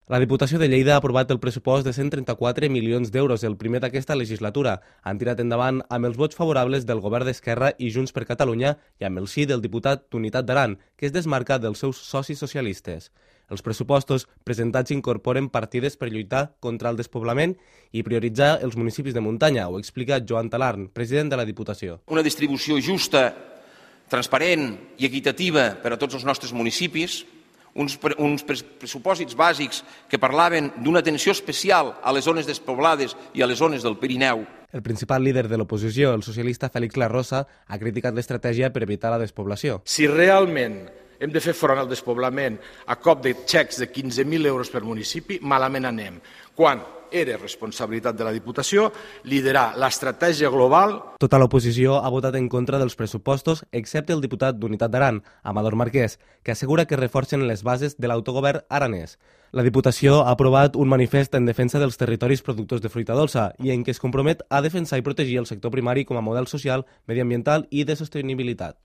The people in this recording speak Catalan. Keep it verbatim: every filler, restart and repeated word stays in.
La Diputació de Lleida ha aprovat el pressupost de cent trenta-quatre milions d'euros, el primer d'aquesta legislatura. Han tirat endavant amb els vots favorables del govern d'Esquerra i Junts per Catalunya i amb el sí del diputat d'Unitat d'Aran, que es desmarca dels seus socis socialistes. Els pressupostos presentats incorporen partides per lluitar contra el despoblament i prioritzar els municipis de muntanya, ho explica Joan Talarn, president de la Diputació. Una distribució justa, transparent i equitativa per a tots els nostres municipis, uns, uns pressupòsits bàsics que parlaven d'una atenció especial a les zones despoblades i a les zones del Pirineu. El principal líder de l'oposició, el socialista Félix Larrosa, ha criticat l'estratègia per evitar la despoblació. Si realment hem de fer front al despoblament a cop de xecs de quinze mil euros per municipi, malament anem. Quan era responsabilitat de la Diputació liderar l'estratègia global. Tota l'oposició ha votat en contra dels pressupostos, excepte el diputat d'Unitat d'Aran, Amador Marquès, que assegura que reforcen les bases de l'autogovern aranès. La Diputació ha aprovat un manifest en defensa dels territoris productors de fruita dolça i en què es compromet a defensar i protegir el sector primari com a model social, mediambiental i de sostenibilitat.